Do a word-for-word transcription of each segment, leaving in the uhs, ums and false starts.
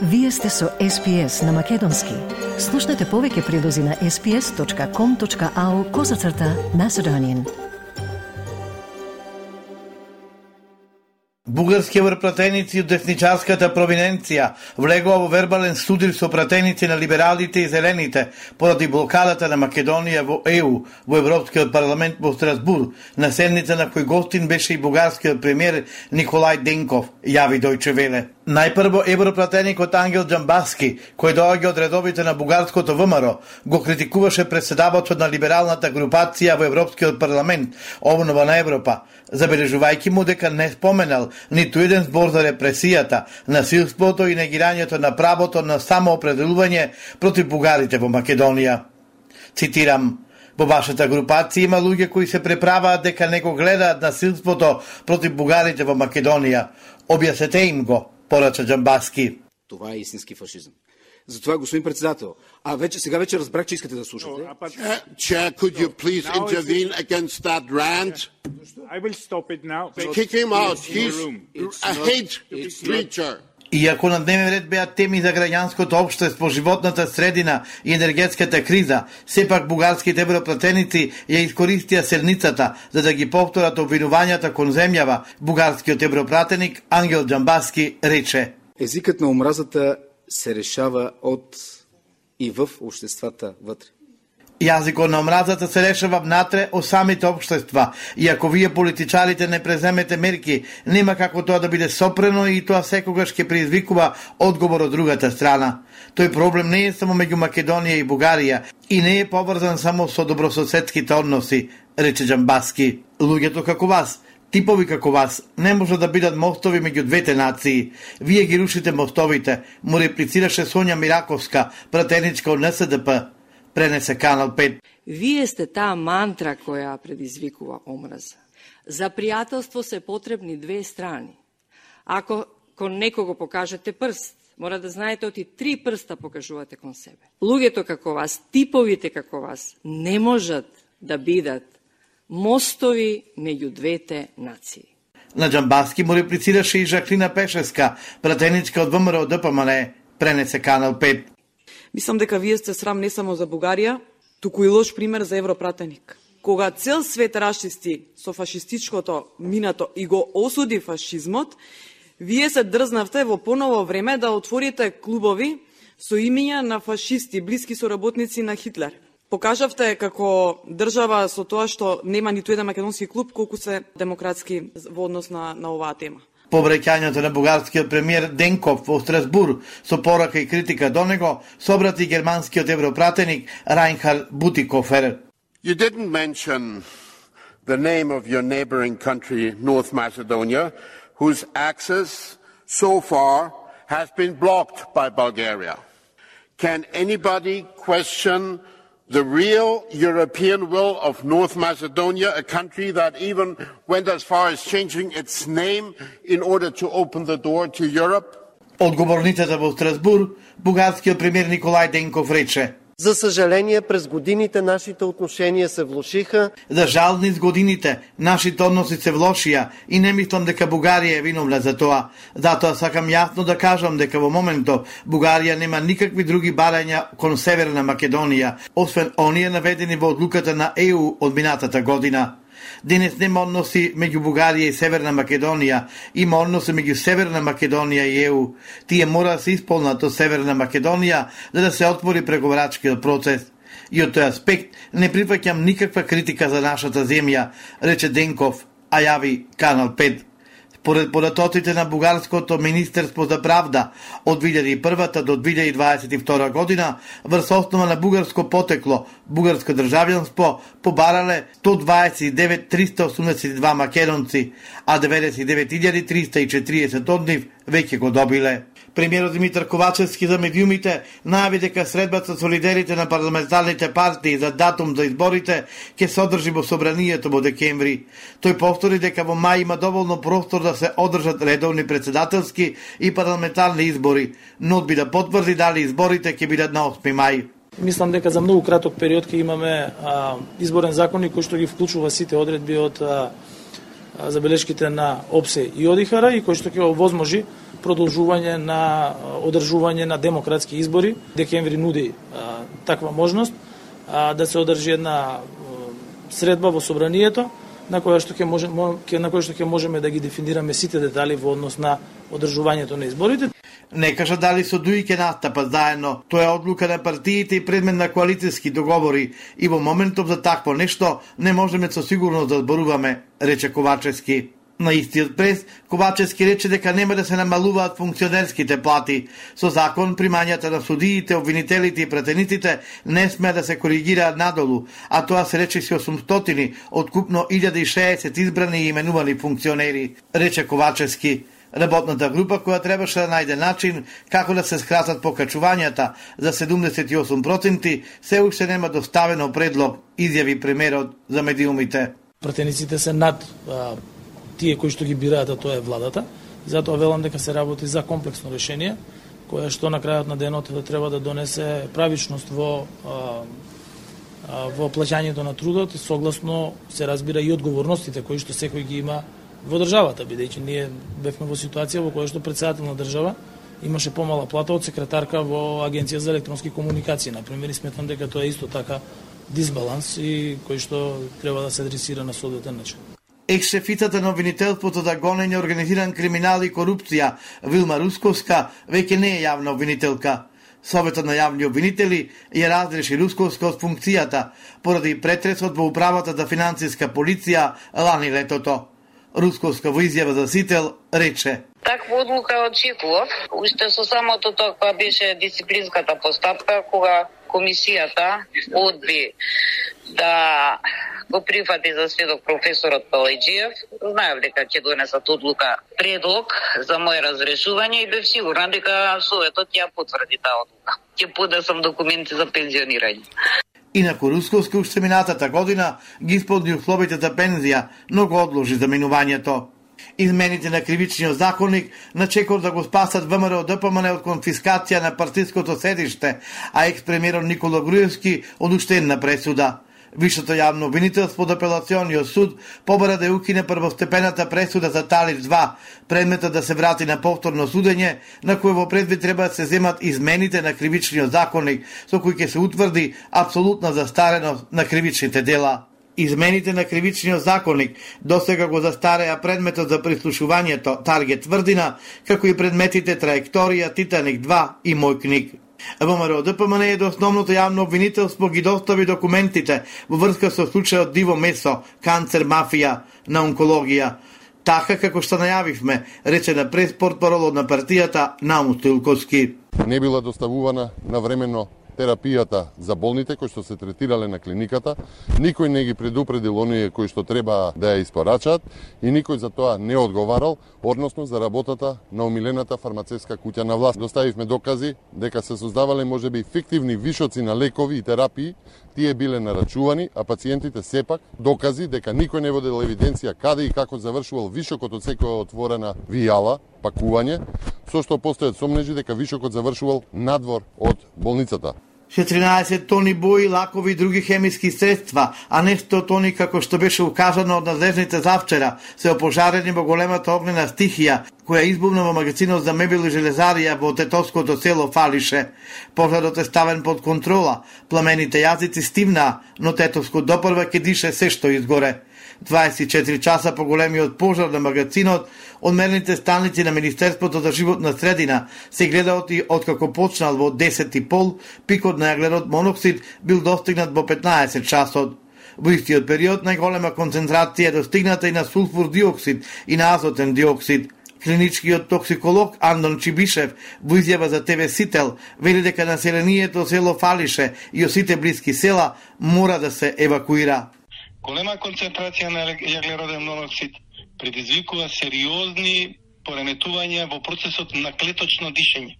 Вие сте со Ес Пи Ес на Македонски. Слушнете повеќе прилози на ес пи ес точка ком точка ау козацрта Macedonian. Бугарски врпратеници од десничарската провиненција влегува во вербален судир со пратеници на либералите и зелените поради блокадата на Македонија во Е У, во Европскиот парламент во Страсбур, на седница на кој гостин беше и бугарскиот премиер Николај Денков, јави Дојче Веле. Најпрво европратеникот Ангел Џамбаски, кој доаѓа од редовите на бугарското Вэ Ем Ар, го критикуваше преседавачот на либералната групација во Европскиот парламент, Обнова на Европа, забележувајќи му дека не споменал ниту еден збор за репресијата, насилството и негирањето на правото на самоопределување против бугарите во Македонија. Цитирам: "Во вашата групација има луѓе кои се преправаат дека не го гледаат насилството против бугарите во Македонија. Објаснете им го", порача Џамбаски. Това е истински фашизм. Затова, господин председател, а вече сега вече разбрах, че искате да слушате. Chair, Chair, could you please intervene against that rant? I will stop it now. Kick him out. He's a hate preacher. Иако на дневен ред беа теми за граѓанското општество, животната средина и енергетската криза, сепак бугарските европратеници ја искористија седницата за да ги повторат обвинувањата кон земјава. Бугарскиот европратеник Ангел Џамбаски рече: Езикът на омразата се решава од и в обществата вътре. Јазикот на омразата се решава внатре од самите општества. И ако вие политичарите не преземете мерки, нема како тоа да биде сопрено и тоа секогаш ќе предизвикува одговор од другата страна. Тој проблем не е само меѓу Македонија и Бугарија и не е поврзан само со добрососедските односи, рече Џамбаски. Луѓето како вас, типови како вас, не може да бидат мостови меѓу двете нации. Вие ги рушите мостовите, му реплицираше Сонја Мираковска, пратеничка од Н С Д П. Пренесе Канал пет. Вие сте таа мантра која предизвикува омраза. За пријателство се потребни две страни. Ако кон некого покажете прст, мора да знаете оти три прста покажувате кон себе. Луѓето како вас, типовите како вас, не можат да бидат мостови меѓу двете нации. На Џамбаски му реплицираше и Жаклина Пешеска, пратеничка од Вэ Ем Ар Д П М Н, пренесе Канал пет. Мислам дека вие сте срам не само за Бугарија, туку и лош пример за европратеник. Кога цел свет расчисти со фашистичкото минато и го осуди фашизмот, вие се дрзнавте во поново време да отворите клубови со имиња на фашисти, блиски соработници на Хитлер. Покажавте како држава со тоа што нема ниту еден македонски клуб колку се демократски во однос на, на оваа тема. По враќањето на бугарскиот премиер Денков во Страсбур со порака и критика до него, собрати германскиот европратеник Райнхард Бутикофер. You didn't mention the name of your neighboring country, North Macedonia, whose access so far has been blocked by Bulgaria. Can anybody question the real European will of North Macedonia, a country that even went as far as changing its name in order to open the door to Europe? Одговорницата во Страсбур, бугарскиот премиер Николај Денков рече: За съжаление, през годините нашите отношения се влошиха. За жал низ годините нашите односи се влошија и не мислам дека Бугарија е виновна за тоа. Затоа сакам јасно да кажам дека во моментов Бугарија нема никакви други барања кон Северна Македонија, освен оние наведени во одлуката на Е У од минатата година. Денес нема односи меѓу Бугарија и Северна Македонија, има односи меѓу Северна Македонија и Е У. Тие мора да се исполнат од Северна Македонија за да се отвори преговарачкиот процес. И од тој аспект не прифаќам никаква критика за нашата земја, рече Денков, а јави Канал пет. Според податоците на бугарското Министерство за правда од две илјади и прва до две илјади дваесет и втора година, врз основа на бугарско потекло, бугарско државјанство, побарале сто дваесет и девет триста осумдесет и два македонци, а деветдесет и девет илјади триста и четириесет од нив веќе го добиле. Премиерот Димитар Ковачевски за медиумите најави дека средбата со лидерите на парламентарните партии за датум за изборите ќе се одржи во собранието во декември. Тој повтори дека во мај има доволно простор да се одржат редовни председателски и парламентарни избори, но одби да потврди дали изборите ќе бидат на осми мај. Мислам дека за многу краток период ќе имаме а, изборен законник кој што ги вклучува сите одредби од а, забелешките на ОПСЕ и ОДИХАР и кој што ќе овозможи продолжување на одржување на демократски избори. Декември нуди а, таква можност а, да се одржи една а, средба во собранието на која што ќе може на која што ќе можеме да ги дефинираме сите детали во однос на одржувањето на изборите. Не кажа дали со дуи ќе настапат заедно. Тоа е одлука на партиите и предмет на коалицијски договори и во моментов за такво нешто не можеме со сигурност да зборуваме, рече Ковачевски. На истиот прес, Ковачевски рече дека нема да се намалуваат функционерските плати. Со закон, примањата на судиите, обвинителите и пратениците не смеа да се коригираат надолу, а тоа се речиси осумстотини од купно илјада и шеесет избрани и именувани функционери, рече Ковачевски. Работната група која требаше да најде начин како да се скратат покачувањата за седумдесет и осум проценти, се уште нема доставено предлог, изјави премиерот за медиумите. Пратениците се над а, тие кои што ги бираат, а тоа е владата. Затоа велам дека се работи за комплексно решение, кое што на крајот на денот да треба да донесе правичност во а, а, во плаќањето на трудот, согласно се разбира и одговорностите кои што секој ги има во државата, бидејќи ние бевме во ситуација во која што претседател на држава имаше помала плата од секретарка во Агенција за електронски комуникации, например, и сметам дека тоа е исто така дисбаланс и кој што треба да се адресира на соодветен начин. Екс-шефицата на обвинителството за гонење организиран криминал и корупција Вилма Русковска веќе не е јавна обвинителка. Советот на јавни обвинители ја разреши Русковска од функцијата поради претресот во управата за финансиска полиција лани летото. Русковска во изјава за Сител рече: Таква одлука очекував, уште со самото тоа кога беше дисциплинската постапка, кога комисијата одби да го прифати за сведок професорот Палајџиев. Знаев дека ќе донесат одлука предлог за моје разрешување и бев сигурна дека Советот ја потврди таа одлука. Ќе подесам документи за пензионирање. Инаку Русковска уште минатата година ги исполни условите за пензија, но го одложи заминувањето. Измените на кривичниот законник на чекор да го спасат ВМРО ДПМН од конфискација на партиското седиште, а екс-премиерот Никола Груевски од уштенна пресуда. Висшето јавно обвинителство од апелациониот суд побара да укине првостепената пресуда за Талич два, предметот да се врати на повторно судење, на кое во предвид треба да се земат измените на кривичниот законник, со кои ќе се утврди апсолутна застареност на кривичните дела. Измените на кривичниот законник досега го застареа предметот за прислушувањето Таргет Тврдина, како и предметите Траекторија, Титаник два и Мој книг. ВМРО ДПМН е до основното јавно обвинителство ги достави документите во врска со случајот Диво Месо, канцер мафија на онкологија. Така како што најавивме, рече на прес-портпаролот на партијата Наум Стоилковски. Не била доставувана навремено терапијата за болните кои што се третирале на клиниката, никој не ги предупредил оние кои што треба да ја испорачаат и никој за тоа не одговарал, односно за работата на омилената фармацевска куќа на власт. Доставивме докази дека се создавале можеби фиктивни вишоци на лекови и терапии, тие биле нарачувани, а пациентите сепак докази дека никој не водел евиденција каде и како завршувал вишокот од секоја отворена вијала, пакување, со што постојат сомнежи дека вишокот завршувал надвор од болницата. четиринаесет тони бои, лакови и други хемиски средства, а не сто тони како што беше укажано од надлежните завчера, се опожарени во големата огнена стихија, која избувна во магазинот за мебел и железарија во тетовското село Фалише. Пожарот е ставен под контрола, пламените јазици стивнаа, но тетовско допрва ќе дише се што изгоре. дваесет и четири часа по големиот пожар на магазинот, од мерните станици на Министерството за животна средина се гледаат и откако почнал во десет и пол, пикот на јаглерод моноксид бил достигнат во петнаесет часот. Во истиот период најголема концентрација е достигната и на сулфур диоксид и на азотен диоксид. Клиничкиот токсиколог Андон Чибишев во изјава за ТВ Сител вели дека населението село Фалише и осите блиски села мора да се евакуира. Голема концентрација на јаглероден моноксид предизвикува сериозни пореметувања во процесот на клеточно дишење.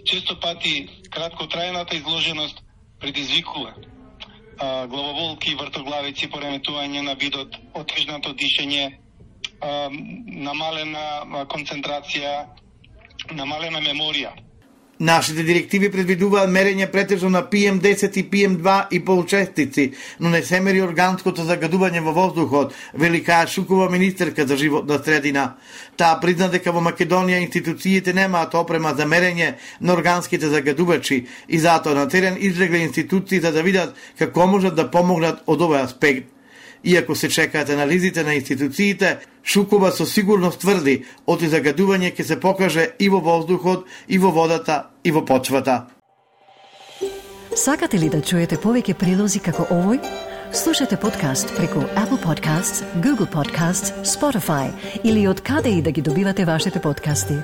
Често пати краткотрајната изложеност предизвикува а, главоболки, вртоглавици, пореметување на видот, отежнато дишење, а, намалена концентрација, намалена меморија. Нашите директиви предвидуваат мерење претежно на пи ем десет и пи ем два и получестици, но не се мери органското загадување во воздухот, вели Каја Шукова, министерка за животна средина. Таа призна дека во Македонија институциите немаат опрема за мерење на органските загадувачи и затоа на терен излегле институции за да видат како можат да помогнат од овој аспект. Иако се чекаат анализите на институциите, Шукова со сигурност тврди оти загадување ќе се покаже и во воздухот, и во водата, и во почвата. Сакате ли да чуете повеќе прилози како овој? Слушате подкаст преку Apple Podcasts, Google Podcasts, Spotify или од каде и да ги добивате вашите подкасти.